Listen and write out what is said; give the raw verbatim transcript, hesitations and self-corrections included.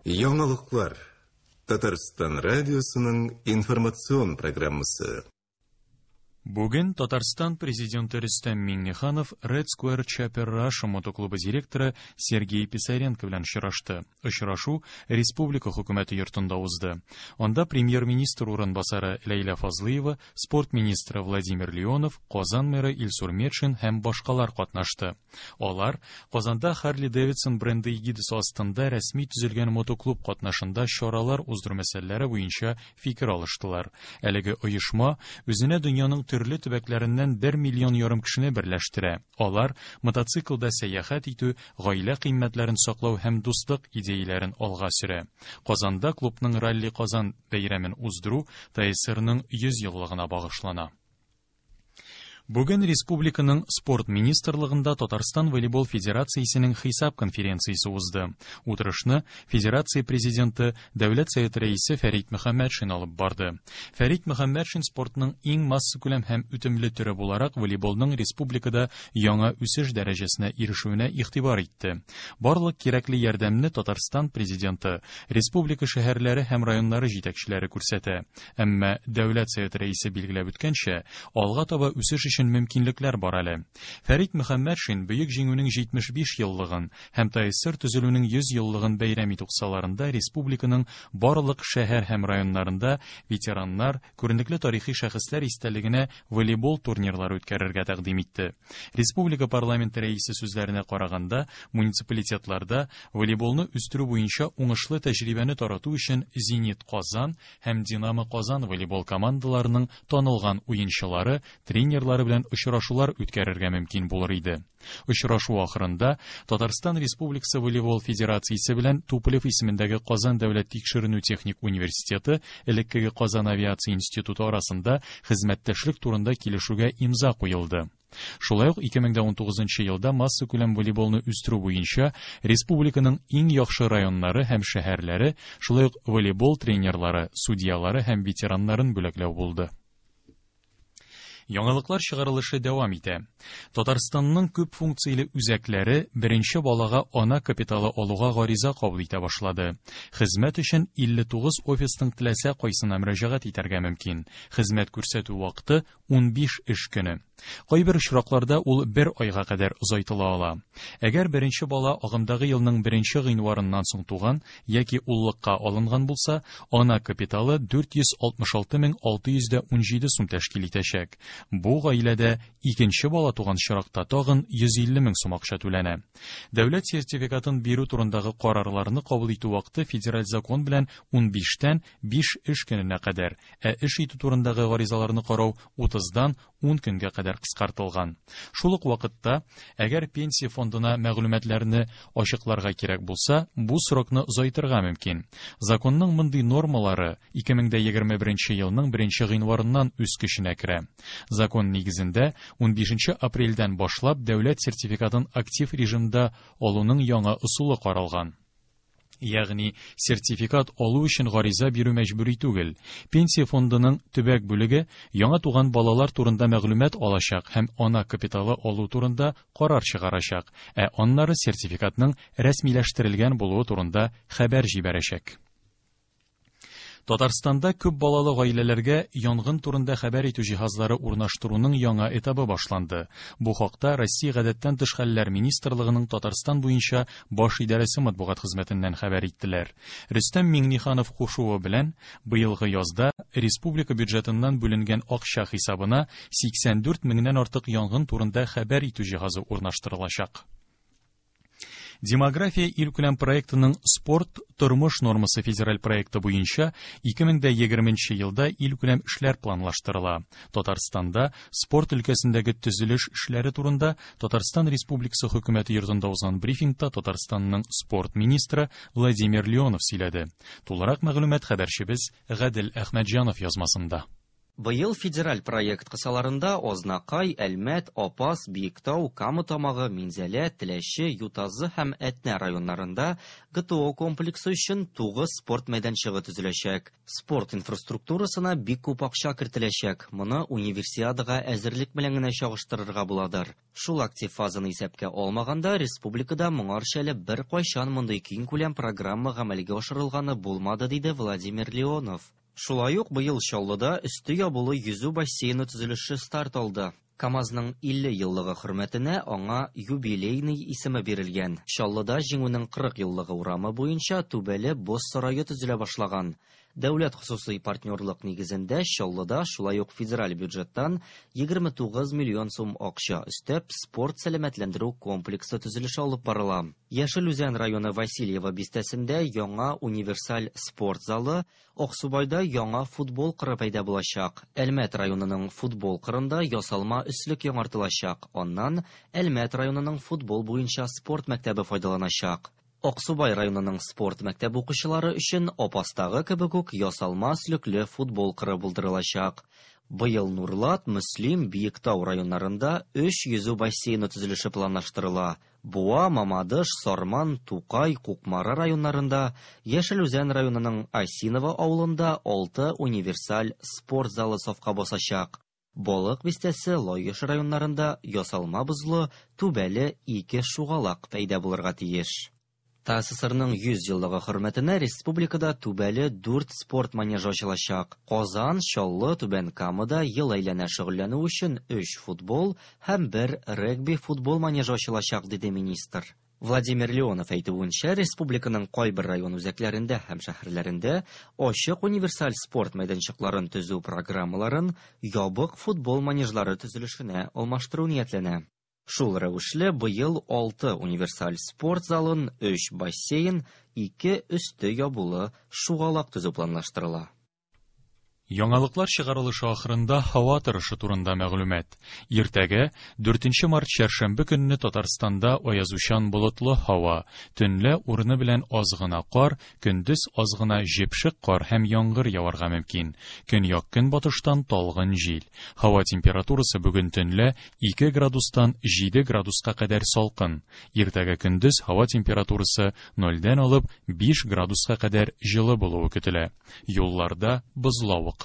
Яңалыклар. Татарстан радиосының информацион программасы. Бүген Татарстан президенты Рөстәм Миңнеханов Red Square Chopper Russia мотоклубы директоры Сергей Писаренко белән очрашты. Очрашу республика хөкүмәте йортында узды. Анда премьер-министр урынбасары Ләйлә Фазлыева, спорт министры Владимир Леонов, Казан мэры Илсур Метшин һәм башкалар катнашты. Алар Казанда Harley Davidson бренды эгидасы астында рәсми төзелгән мотоклуб катнашында чаралар уздыру мәсьәләләре буенча фикер алыштылар. Әлеге оешма үзенә дөньяның төрле төбәкләреннән бер миллион ярым кешене берләштерә. Алар мотоциклда сәяхәт итү, гаилә кыйммәтләрен саклау һәм дуслык идеяләрен алга сөрә. Казанда клубның Ралли Казан бәйрәмен уздыру ТАССРның йөз еллыгына багышлана. Бүген республиканың спорт министрлыгында Татарстан волейбол федерациясенең хисап конференциясе узды. Утырышны федерация президенты, Дәүләт Советы рәисе Фәрит Мөхәммәтшин алып барды. Фәрит Мөхәммәтшин спортның иң массакүләм һәм үтемле төре буларак волейболның республикада яңа үсеш дәрәҗәсенә ирешүенә игътибар итте. Барлык кирәкле ярдәмне Татарстан президенты, республика шәһәрләре һәм районнары җитәкчеләре күрсәтә. Әмма Дәүләт Советы рәисе билгеләп үткәнчә, алга таба үсеш өчен мөмкинлекләр бар әле. Фәрит Мөхәммәтшин Бөек Җиңүнең җитмеш биш еллыгын һәм ТАССР төзелүнең йөз еллыгын бәйрәм итү кысаларында республиканың барлык шәһәр һәм районнарында ветераннар, күренекле тарихи шәхесләр истәлегенә волейбол турнирлары үткәрергә тәкъдим итте. Республика парламенты рәисе сүзләренә караганда, муниципалитетларда волейболны үстерү буенча уңышлы тәҗрибәне тарату өчен Зенит Казан һәм Динамо Казан волейбол командаларының танылган уенчылары, тренерлары белән очрашулар үткәрергә мөмкин булыр иде. Очрашу ахырында Татарстан Республикасы волейбол федерациясе белән Туполев исемендәге Казан дәүләт тикшеренү техник университеты, элеккеге Казан авиация институты арасында хезмәттәшлек турында килешүгә имза куелды. Шулай ук ике мең дә унтугызынчы елда массакүләм волейболны үстерү буенча республиканың иң яхшы районнары һәм шәһәрләре, шулай ук волейбол тренерлары, судьялары һәм ветераннарын бүләкләү булды. Яңалыклар чыгарылышы дәвам итә. Татарстанның күп функцияле үзәкләре беренче балага ана капиталы алуга гариза кабул итә башлады. Хезмәт өчен илле тугыз офисның теләсә кайсына мөрәҗәгать итәргә мөмкин. Хезмәт күрсәтү вакыты унбиш эш көне. Кайбер очракларда ул бер айга кадәр озайтыла ала. Әгәр беренче бала агымдагы елның беренче гыйнварыннан соң туган яки уллыкка алынган булса, ана капиталы дүрт йөз алтмыш алты мең алты йөз дә унҗиде сум тәшкил итәчәк. Бу гаиләдә икенче бала туган очракта тагын йөз илле мең сум акча түләнә. Дәүләт сертификатын бирү турындагы карарларны кабул итү вакыты федераль закон белән унбиштән биш эш көненә кадәр, ә эш итү турындагы гаризаларны карау утыздан ун көнгә кадәр кыскартылган. Шул ук вакытта, әгәр пенсия фондына мәгълүматларны ачыкларга кирәк булса, бу срокны озайтырга мөмкин. Законның мондый нормалары ике мең дә егерме беренче елның беренче гыйнварыннан үз көченә керә. Закон нигезендә унбишенче апрельдән башлап дәүләт сертификатын актив режимда алуның яңа ысулы каралган. Ягъни сертификат алу өчен гариза бирү мәҗбүри түгел. Пенсия фондының төбәк бүлеге яңа туган балалар турында мәгълүмат алачак һәм ана капиталы алу турында карар чыгарачак, ә аннары сертификатның рәсмиләштерелгән булуы турында хәбәр җибәрәчәк. Татарстанда күп балалы гаиләләргә янгын турында хәбәр итү җиһазлары урнаштыруның яңа этабы башланды. Бу хакта Россия гадәттән тыш хәлләр министрлыгының Татарстан буенча баш идарәсе матбугат хезмәтеннән хәбәр иттеләр. Рөстәм Миңнеханов кушуы белән быелгы язда республика бюджетыннан бүленгән акча хисабына сиксән дүрт меңнән артык янгын турында хәбәр итү җиһазы урнаштырылачак. Демография илкүләм проектының Спорт тормыш нормасы федераль проекты буенча ике мең дә егерменче елда илкүләм эшләр планлаштырыла. Татарстанда спорт өлкәсендәге төзелеш эшләре турында Татарстан Республикасы хөкүмәте йортында узган брифингта Татарстанның спорт министры Владимир Леонов сөйләде. Тулырак мәгълүмат хәбәрчебез Гадел Әхмәтҗанов язмасында. Быел федераль проект кысаларында Азнакай, Әлмәт, Апас, Биектау, Кама Тамагы, Минзәлә, Теләче, Ютазы һәм Әтнә районнарында Г Т О комплексы өчен тугыз спорт мәйданчыгы төзеләчәк. Спорт инфраструктурасына бик күп акча кертеләчәк. Моны Универсиадага әзерлек белән генә чагыштырырга буладыр. Шул актив фазаны исәпкә алмаганда, республикада моңарчы әле беркайчан мондый киңкүләм программа гамәлгә ашырылганы булмады, диде Владимир Леонов. Шулай ук быел Чаллыда өсте ябулы йөзү бассейны төзелеше старт алды. КАМАЗның илле еллыгы хөрмәтенә аңа Юбилейный исеме бирелгән. Чаллыда Җиңүнең кырык еллыгы урамы буенча түбәле боз сарае төзелә башлаган. Дәүләт хосусый партнерлык нигезендә Чаллыда шулай ук федераль бюджеттан егерме тугыз миллион сум акча өстәп спорт сәламәтләндерү комплексы төзелеше алып барыла. Яшел Үзән районы Васильево бистәсендә яңа универсаль спорт залы, Аксубайда яңа футбол кыры пәйда булачак. Әлмәт районының футбол кырында ясалма өслек яңартылачак. Аннан Әлмәт районының футбол буенча спорт мәктәбе файдаланачак. Аксубай районының спорт мәктәбе укучылары өчен Апастагы кебек үк ясалма өслекле футбол кыры булдырылачак. Быел Нурлат, Мөслим, Биектау районнарында өч йөзү бассейны төзелеше планлаштырыла. Буа, Мамадыш, Сарман, Тукай, Кукмара районнарында, Яшел Үзән районының Осиново авылында алты универсаль спорт залы сафка басачак. Балык Бистәсе, Лаеш районнарында ясалма бозлы, түбәле ике шугалак пәйда булырга тиеш. Т А С С Рның йөз еллыгы хөрмәтенә республикада түбәле дүрт спорт манежы ачылачак. Казан, Чаллы, Түбән Камада ел әйләнә шөгыльләнү өчен өч футбол һәм бер регби футбол манежы ачылачак, диде министр. Владимир Леонов әйтүенчә, республиканың кайбер район үзәкләрендә һәм шәһәрләрендә ачык универсаль спорт мәйданчыкларын төзү программаларын ябык футбол манежлары төзелешенә алмаштыру ниятләнә. Шул рәвешле быел алты универсаль спорт залын, өч бассейн, ике өсте ябулы шугалак төзү планлаштырыла. Яңалыклар чыгарылышы ахырында һава торышы турында мәгълүмат. Иртәгә, дүртенче март чәршәмбе көнне Татарстанда аязучан болытлы һава, төнлә урыны белән аз гына кар, көндез аз гына җепшек кар һәм яңгыр яварга мөмкин. Көньяк көнбатыштан талгын җил. Һава температурасы бүген төнлә ике градустан җиде градуска кадәр салкын. Иртәгә көндез һава температурасы нольдән алып биш градуска кадәр җылы булуы көтелә. Юлларда бозлавык.